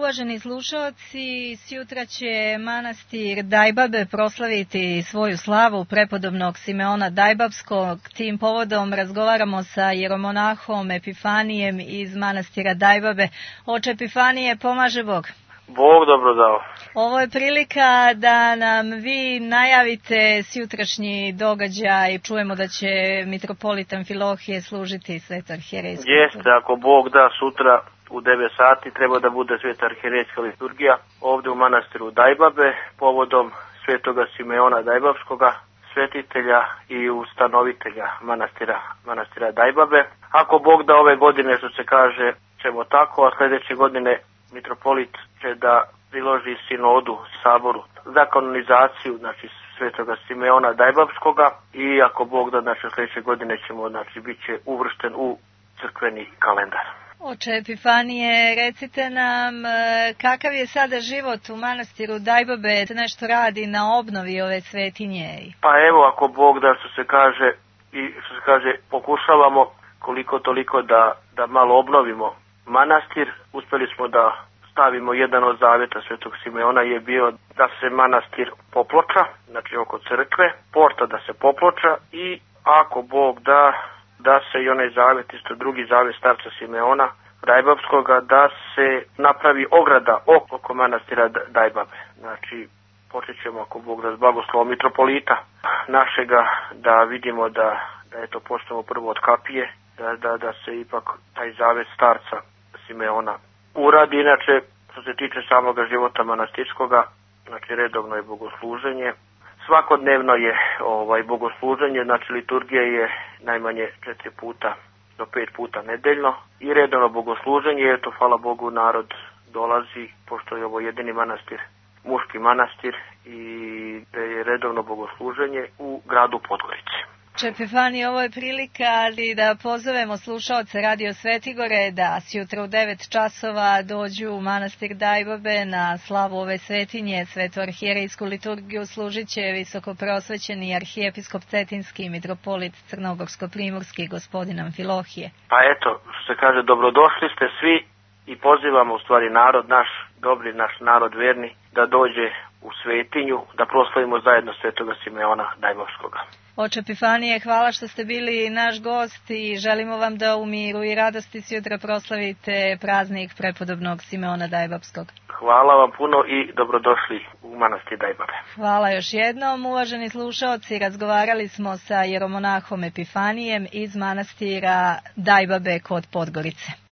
uvaženi slušalci, sjutra će manastir Dajbabe proslaviti svoju slavu prepodobnog Simeona Dajbabskog. Tim povodom razgovaramo sa jeromonahom Epifanijem iz manastira Dajbabe. Oče Epifanije, pomaže Bog. Bog dobro dao. Ovo je prilika da nam vi najavite sjutrašnji događaj. Čujemo da će mitropolit Amfilohije služiti Sveto arhijerejsku. Jeste, ako Bog da, sutra u 9 sati treba da bude Sveta arhijerejska liturgija ovdje u manastiru Dajbabe povodom Svetoga Simeona Dajbabskoga, svetitelja i ustanovitelja manastira Dajbabe. Ako Bog da, ove godine, što se kaže, ćemo tako, a sljedeće godine mitropolit će da priloži sinodu saboru za kanonizaciju, znači, Svetoga Simeona Dajbabskoga, i ako Bog da, znači, sljedeće godine ćemo, znači, bit će uvršten u crkveni kalendar. Oče Epifanije, recite nam kakav je sada život u manastiru Dajbabe, nešto radi na obnovi ove svetinje? Pa evo, ako Bog da, što se kaže, pokušavamo koliko toliko da malo obnovimo manastir. Uspjeli smo da stavimo jedan od zavjeta Svetog Simeona je bio da se manastir poploča, znači oko crkve, porta da se poploča, i ako Bog da se i onaj zavjet, isto drugi zavjet starca Simeona Dajbabskoga, da se napravi ograda oko manastira Dajbabe. Znači, počet ćemo, ako Bog da, s blagoslovom mitropolita našega, da vidimo da eto počnemo prvo od kapije, da se ipak taj zavjet starca Simeona uradi. Inače, što se tiče samoga života manastirskoga, znači redovno je bogosluženje. Svakodnevno je bogosluženje, znači liturgija je najmanje 4 puta do 5 puta nedeljno i redovno bogosluženje. Eto, hvala Bogu, narod dolazi, pošto je ovo jedini manastir, muški manastir, i da je redovno bogosluženje u gradu Podgorici. Oče Epifanije, ovo je prilika da pozovemo slušaoce Radio Svetigore da sjutra u 9 časova dođu u manastir Dajbabe na slavu ove svetinje. Svetu arhijerejsku liturgiju služit će visokoprosvećeni arhijepiskop Cetinski i mitropolit Crnogorsko-primorski gospodin Amfilohije. Pa eto, što se kaže, dobrodošli ste svi i pozivamo u stvari narod naš, dobri naš narod verni, da dođe u svetinju, da proslavimo zajedno Svetoga Simeona Dajbabskoga. Oče Epifanije, hvala što ste bili naš gost i želimo vam da u miru i radosti sjutra proslavite praznik prepodobnog Simeona Dajbabskog. Hvala vam puno i dobrodošli u manastir Dajbabe. Hvala još jednom, uvaženi slušaoci. Razgovarali smo sa jeromonahom Epifanijem iz manastira Dajbabe kod Podgorice.